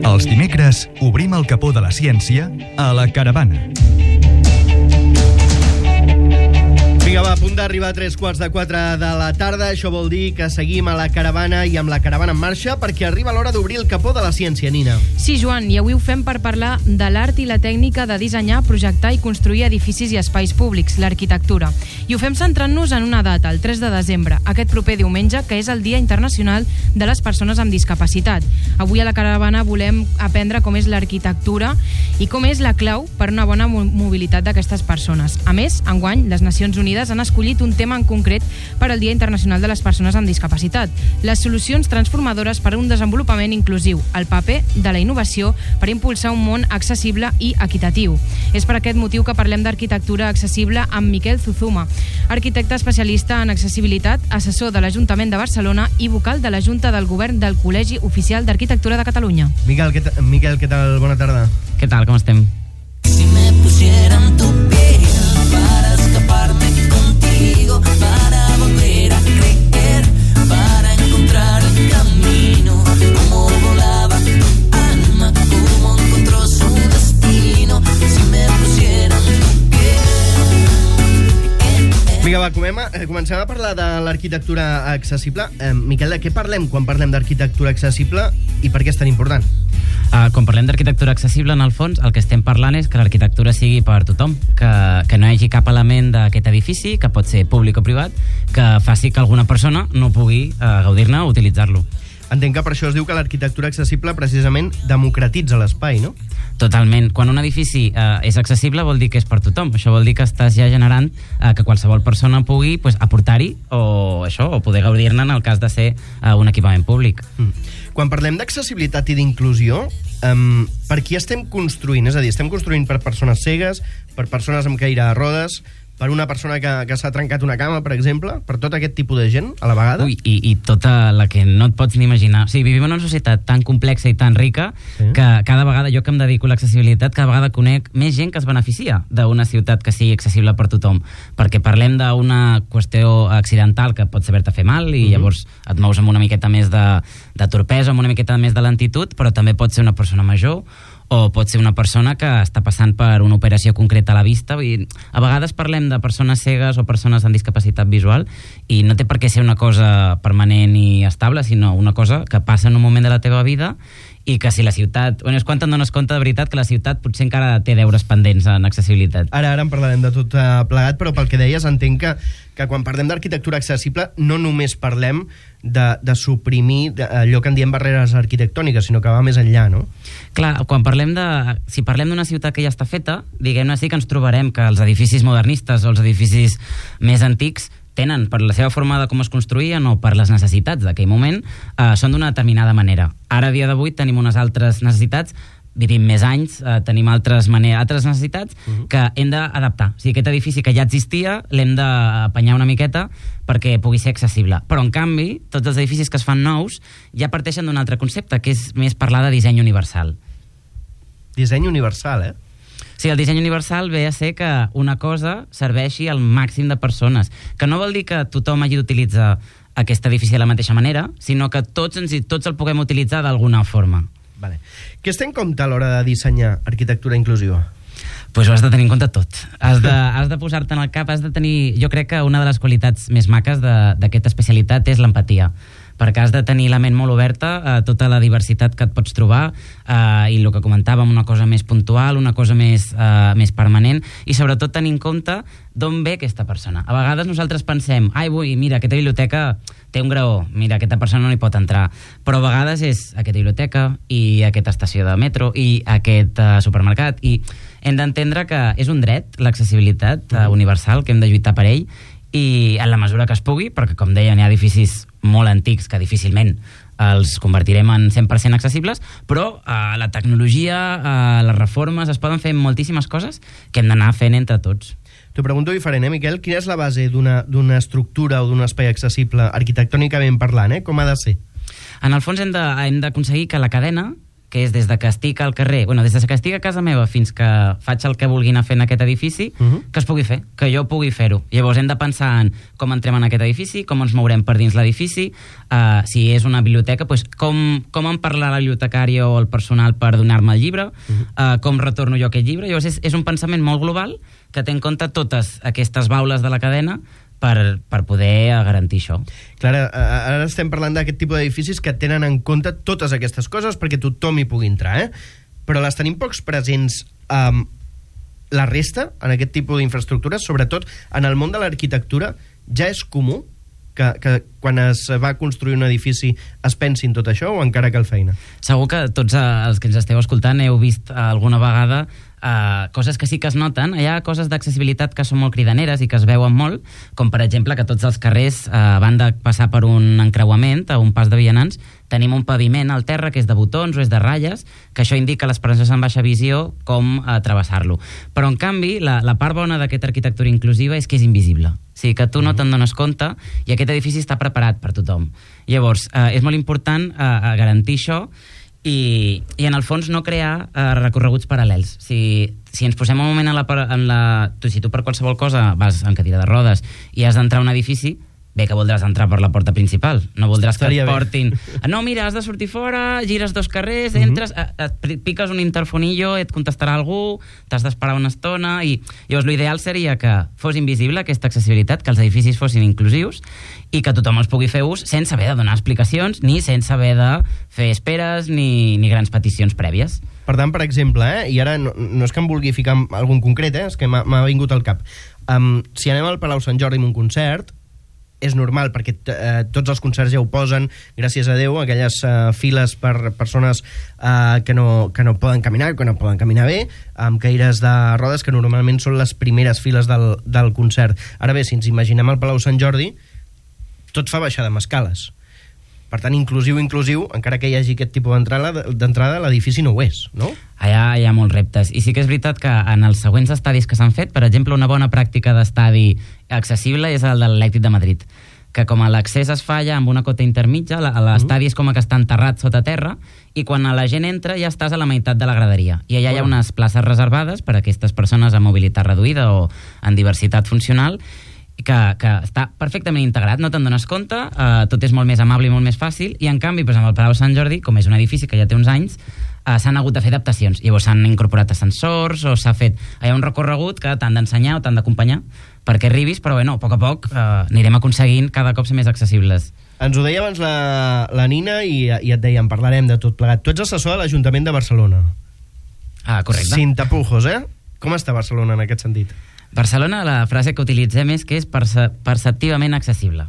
Els dimecres obrim el capó de la ciència a La Caravana. Vinga, va, a punt d'arribar a 3:45 de la tarda. Això vol dir que seguim a La Caravana i amb La Caravana en marxa perquè arriba l'hora d'obrir el capó de la ciència, Nina. Sí, Joan, i avui ho fem per parlar de l'art i la tècnica de dissenyar, projectar i construir edificis i espais públics, l'arquitectura. I ho fem centrant-nos en una data, el 3 de desembre, aquest proper diumenge, que és el Dia Internacional de les Persones amb Discapacitat. Avui a La Caravana volem aprendre com és l'arquitectura i com és la clau per una bona mobilitat d'aquestes persones. A més, enguany, les Nacions Unides han escollit un tema en concret per al Dia Internacional de les Persones amb Discapacitat: les solucions transformadores per a un desenvolupament inclusiu, el paper de la innovació per impulsar un món accessible i equitatiu. És per aquest motiu que parlem d'arquitectura accessible amb Miquel Zuzuma, arquitecte especialista en accessibilitat, assessor de l'Ajuntament de Barcelona i vocal de la Junta del Govern del Col·legi Oficial d'Arquitectura de Catalunya. Miquel, què tal? Bona tarda. Què tal, com estem? Si me pusieran tu piel para escaparme contigo, para volver a creer, para encontrar el camino, como volaba tu alma, como encontró su destino, si me pusieran tu piel. Vinga, va, comencem a parlar de l'arquitectura accessible. Miquel, de què parlem quan parlem d'arquitectura accessible i per què és tan important? Quan parlem d'arquitectura accessible, en el fons, el que estem parlant és que l'arquitectura sigui per tothom, que no hi hagi cap element d'aquest edifici, que pot ser públic o privat, que faci que alguna persona no pugui gaudir-ne o utilitzar-lo. Entenc que per això es diu que l'arquitectura accessible precisament democratitza l'espai, no? Totalment. Quan un edifici és accessible vol dir que és per tothom. Això vol dir que estàs ja generant que qualsevol persona pugui aportar-hi o poder gaudir-ne en el cas de ser un equipament públic. Quan parlem d'accessibilitat i d'inclusió, per qui estem construint? És a dir, estem construint per persones cegues, per persones amb caire de rodes, per una persona que s'ha trencat una cama, per exemple, per tot aquest tipus de gent, a la vegada? Ui, i tota la que no et pots ni imaginar. O sigui, vivim en una societat tan complexa i tan rica que cada vegada, jo que em dedico a l'accessibilitat, cada vegada conec més gent que es beneficia d'una ciutat que sigui accessible per tothom. Perquè parlem d'una qüestió accidental que pot saber-te fer mal i llavors et mous amb una miqueta més de torpesa, amb una miqueta més de lentitud, però també pot ser una persona major o pot ser una persona que està passant per una operació concreta a la vista. A vegades parlem de persones cegues o persones amb discapacitat visual i no té per què ser una cosa permanent i estable, sinó una cosa que passa en un moment de la teva vida i que si la ciutat... és quan te'n dones compte de veritat que la ciutat potser encara té deures pendents en accessibilitat. Ara en parlarem de tot plegat, però pel que deies entenc que quan parlem d'arquitectura accessible no només parlem de suprimir allò que en diem barreres arquitectòniques, sinó que va més enllà, no? Clar, si parlem d'una ciutat que ja està feta, diguem-ne, sí que ens trobarem que els edificis modernistes o els edificis més antics tenen, per la seva forma de com es construïen o per les necessitats d'aquell moment, són d'una determinada manera. Ara, a dia d'avui, tenim unes altres necessitats, vivim més anys, tenim altres necessitats que hem d'adaptar. O sigui, aquest edifici que ja existia l'hem d'apanyar una miqueta perquè pugui ser accessible. Però, en canvi, tots els edificis que es fan nous ja parteixen d'un altre concepte, que és més parlar de disseny universal. Disseny universal, Sí, el disseny universal ve a ser que una cosa serveixi al màxim de persones, que no vol dir que tothom hagi d'utilitzar aquest edifici de la mateixa manera, sinó que tots el puguem utilitzar d'alguna forma. Vale. Què es té en compte a l'hora de dissenyar arquitectura inclusiva? Pues ho has de tenir en compte tot. Has de posar-te en el cap, has de tenir... Jo crec que una de les qualitats més maques d'aquesta especialitat és l'empatia, perquè has de tenir la ment molt oberta a tota la diversitat que et pots trobar i el que comentàvem, una cosa més puntual, una cosa més permanent i sobretot tenir en compte d'on ve aquesta persona. A vegades nosaltres pensem, mira, aquesta biblioteca té un graó, mira, aquesta persona no hi pot entrar, però a vegades és aquesta biblioteca i aquesta estació de metro i aquest supermercat, i hem d'entendre que és un dret, l'accessibilitat universal, que hem de lluitar per ell, i en la mesura que es pugui, perquè com deia, hi ha edificis molt antics que difícilment els convertirem en 100% accessibles, però la tecnologia, les reformes, es poden fer moltíssimes coses que hem d'anar fent entre tots. T'ho pregunto diferent, Miquel? Quina és la base d'una estructura o d'un espai accessible, arquitectònicament parlant, com ha de ser? En el fons hem d'aconseguir que la cadena que és des de que estic al carrer, des de que estic a casa meva fins que faig el que vulgui anar fent en aquest edifici, que es pugui fer, que jo pugui fer-ho. Llavors hem de pensar en com entrem en aquest edifici, com ens mourem per dins l'edifici, si és una biblioteca, com em parla la bibliotecària o el personal per donar-me el llibre, com retorno jo aquest llibre. Llavors és un pensament molt global que té en compte totes aquestes baules de la cadena per poder garantir això. Clar, ara estem parlant d'aquest tipus d'edificis que tenen en compte totes aquestes coses perquè tothom hi pugui entrar, però les tenim pocs presents la resta, en aquest tipus d'infraestructures, sobretot en el món de l'arquitectura. Ja és comú que quan es va construir un edifici es pensi en tot això o encara cal feina? Segur que tots els que ens esteu escoltant heu vist alguna vegada coses que sí que es noten. Hi ha coses d'accessibilitat que són molt cridaneres i que es veuen molt, com per exemple que tots els carrers van de passar per un encreuament, a un pas de vianants, tenim un paviment al terra que és de botons o és de ratlles, que això indica a les persones amb baixa visió com travessar-lo. Però en canvi, la part bona d'aquesta arquitectura inclusiva és que és invisible. O sigui, que tu no te'n dones compte i aquest edifici està preparat per tothom. Llavors, és molt important garantir això i en el fons no crear recorreguts paral·lels. Si ens posem un moment si tu per qualsevol cosa vas en cadira de rodes i has d'entrar a un edifici, bé que voldràs entrar per la porta principal, no voldràs que et portin... No, mira, has de sortir fora, gires 2 carrers, entres, piques un interfonillo, et contestarà algú, t'has d'esperar una estona, i llavors l'ideal seria que fos invisible aquesta accessibilitat, que els edificis fossin inclusius i que tothom els pugui fer ús sense haver de donar explicacions ni sense haver de fer esperes ni grans peticions prèvies. Per tant, per exemple, i ara no és que em vulgui ficar algun concret, és que m'ha vingut al cap. Si anem al Palau Sant Jordi amb un concert, és normal, perquè tots els concerts ja ho posen, gràcies a Déu, aquelles files per persones que no poden caminar, que no poden caminar bé, amb caires de rodes, que normalment són les primeres files del concert. Ara bé, si ens imaginem al Palau Sant Jordi, tot fa baixada amb escales. Per tant, inclusiu, encara que hi hagi aquest tipus d'entrada, l'edifici no ho és, no? Allà hi ha molts reptes. I sí que és veritat que en els següents estadis que s'han fet, per exemple, una bona pràctica d'estadi accessible és el de l'Atlètic de Madrid, que com l'accés es fa allà amb una cota intermitja, l'estadi és com que està enterrat sota terra, i quan la gent entra ja estàs a la meitat de la graderia. I allà hi ha unes places reservades per a aquestes persones amb mobilitat reduïda o en diversitat funcional, que està perfectament integrat, no te'n dones compte, tot és molt més amable i molt més fàcil, i en canvi, amb el Palau Sant Jordi, com és un edifici que ja té uns anys, s'han hagut de fer adaptacions. Llavors s'han incorporat ascensors o s'ha fet... Hi ha un recorregut que t'han d'ensenyar o t'han d'acompanyar perquè arribis, però a poc a poc anirem aconseguint cada cop ser més accessibles. Ens ho deia abans la Nina i et deia, en parlarem de tot plegat. Tu ets assessor de l'Ajuntament de Barcelona. Correcte. Sin tapujos, Com està Barcelona en aquest sentit? Barcelona, la frase que utilitzem és que és perceptivament accessible.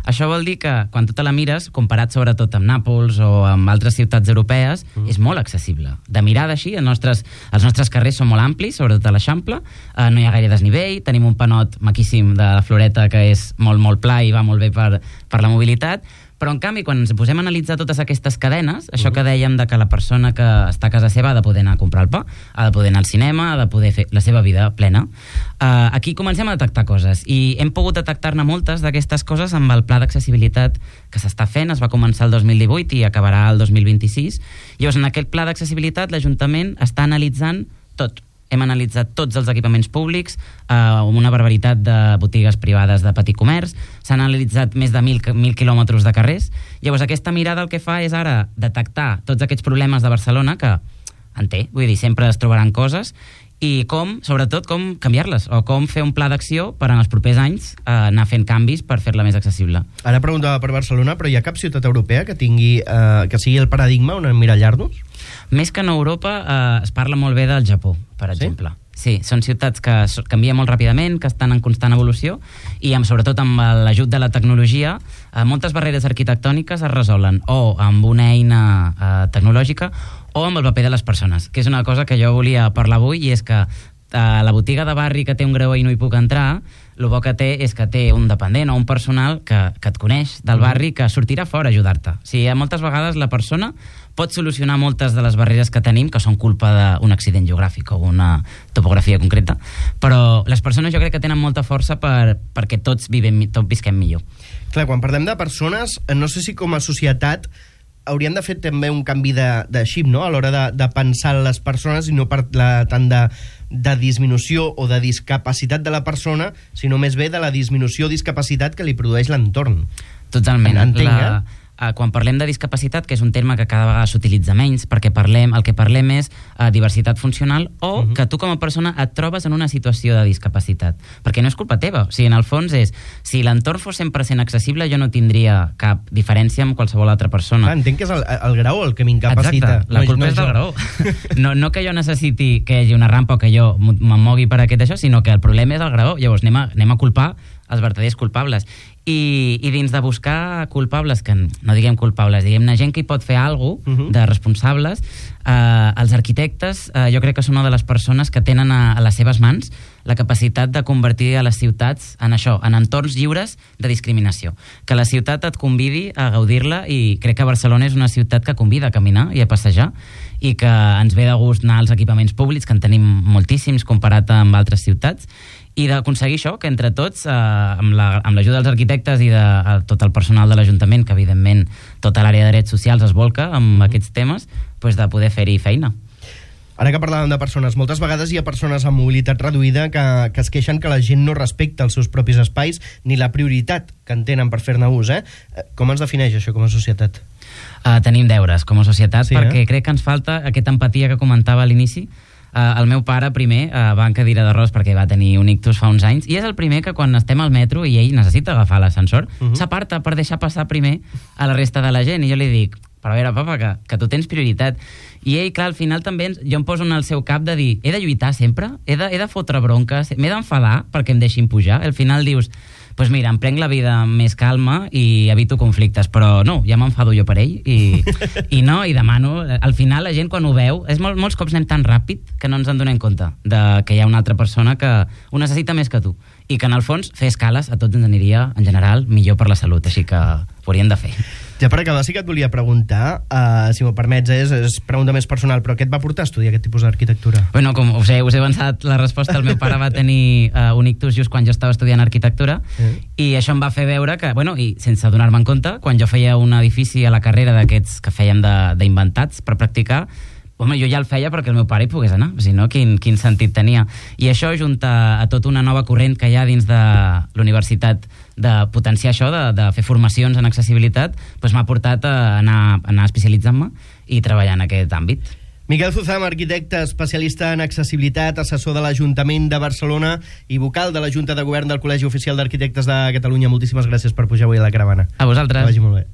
Això vol dir que quan tu te la mires, comparat sobretot amb Nàpols o amb altres ciutats europees, és molt accessible. De mirada així, els nostres carrers són molt amplis, sobretot a l'Eixample, no hi ha gaire desnivell, tenim un panot maquíssim de la Floreta que és molt, molt pla i va molt bé per la mobilitat, però en canvi quan ens posem a analitzar totes aquestes cadenes, això que dèiem de que la persona que està a casa seva ha de poder anar a comprar el pa, ha de poder anar al cinema, ha de poder fer la seva vida plena, aquí comencem a detectar coses i hem pogut detectar-ne moltes d'aquestes coses amb el pla d'accessibilitat que s'està fent, es va començar el 2018 i acabarà el 2026. Llavors en aquest pla d'accessibilitat l'Ajuntament està analitzant tot. Hem analitzat tots els equipaments públics, una barbaritat de botigues privades de petit comerç, s'han analitzat més de 1.000 quilòmetres de carrers. Llavors aquesta mirada el que fa és ara detectar tots aquests problemes de Barcelona que en té, vull dir, sempre es trobaran coses, i sobretot com canviar-les o com fer un pla d'acció per en els propers anys anar fent canvis per fer-la més accessible. Ara preguntava per Barcelona, però hi ha cap ciutat europea que tingui que sigui el paradigma on emmirallar-nos? Més que en Europa es parla molt bé del Japó, per exemple. Sí, són ciutats que canvien molt ràpidament, que estan en constant evolució i sobretot amb l'ajut de la tecnologia moltes barreres arquitectòniques es resolen o amb una eina tecnològica o amb el paper de les persones, que és una cosa que jo volia parlar avui, i és que la botiga de barri que té un greuer i no hi puc entrar, el bo que té és que té un dependent o un personal que et coneix del barri, que sortirà fora a ajudar-te. O sigui, moltes vegades la persona pot solucionar moltes de les barreres que tenim, que són culpa d'un accident geogràfic o una topografia concreta, però les persones jo crec que tenen molta força perquè tots visquem millor. Clar, quan parlem de persones, no sé si com a societat hauríem de fer també un canvi de xip, no?, a l'hora de pensar les persones, i no parlar tant de disminució o de discapacitat de la persona, sinó més bé de la disminució o discapacitat que li produeix l'entorn. Totalment. Entenc, quan parlem de discapacitat, que és un terme que cada vegada s'utilitza menys, perquè el que parlem és diversitat funcional, o que tu com a persona et trobes en una situació de discapacitat. Perquè no és culpa teva. O sigui, en el fons és, si l'entorn fos 100% accessible, jo no tindria cap diferència amb qualsevol altra persona. Entenc que és el graó el que m'incapacita. Exacte, la culpa és del graó. No que jo necessiti que hi hagi una rampa o que jo me'n mogui per aquest això, sinó que el problema és el graó. Llavors anem a culpar els verdaders culpables. I dins de buscar culpables, que no diguem culpables, diguem-ne gent que hi pot fer alguna cosa de responsables, els arquitectes jo crec que són una de les persones que tenen a les seves mans la capacitat de convertir a les ciutats en això, en entorns lliures de discriminació. Que la ciutat et convidi a gaudir-la, i crec que Barcelona és una ciutat que convida a caminar i a passejar, i que ens ve de gust anar als equipaments públics, que en tenim moltíssims comparat amb altres ciutats, i d'aconseguir això, que entre tots, amb l'ajuda dels arquitectes i de tot el personal de l'Ajuntament, que evidentment tota l'àrea de drets socials es volca amb aquests temes, doncs de poder fer-hi feina. Ara que parlàvem de persones, moltes vegades hi ha persones amb mobilitat reduïda que es queixen que la gent no respecta els seus propis espais ni la prioritat que en tenen per fer-ne ús. Com ens defineix això com a societat? Tenim deures com a societat, perquè crec que ens falta aquesta empatia que comentava a l'inici. El meu pare primer va en cadira de rodes perquè va tenir un ictus fa uns anys, i és el primer que quan estem al metro i ell necessita agafar l'ascensor, s'aparta per deixar passar primer a la resta de la gent, i jo li dic, però a veure, papa, que tu tens prioritat. I ell, clar, al final també jo em poso en el seu cap de dir, he de lluitar sempre? He de fotre bronques? M'he d'enfadar perquè em deixin pujar? Al final dius, doncs mira, em prenc la vida amb més calma i evito conflictes, però no, ja m'enfado jo per ell i demano, al final la gent quan ho veu, molts cops anem tan ràpid que no ens en donem compte que hi ha una altra persona que ho necessita més que tu, i que en el fons fer escales a tots ens aniria en general millor per la salut, així que ho hauríem de fer. Ja per acabar, sí que et volia preguntar, si m'ho permets, és pregunta més personal, però què et va portar a estudiar aquest tipus d'arquitectura? Bueno, com us he avançat la resposta, el meu pare va tenir un ictus just quan jo estava estudiant arquitectura, i això em va fer veure que, bueno, i sense donar-me en compte, quan jo feia un edifici a la carrera d'aquests que fèiem d'inventats per practicar, home, jo ja el feia perquè el meu pare hi pogués anar, si no, quin sentit tenia. I això, junt a tota una nova corrent que hi ha dins de la universitat de potenciar això, de fer formacions en accessibilitat, doncs m'ha portat a anar especialitzant-me i treballar en aquest àmbit. Miquel Zuzam, arquitecte, especialista en accessibilitat, assessor de l'Ajuntament de Barcelona i vocal de la Junta de Govern del Col·legi Oficial d'Arquitectes de Catalunya. Moltíssimes gràcies per pujar avui a la caravana. A vosaltres. Que vagi molt bé.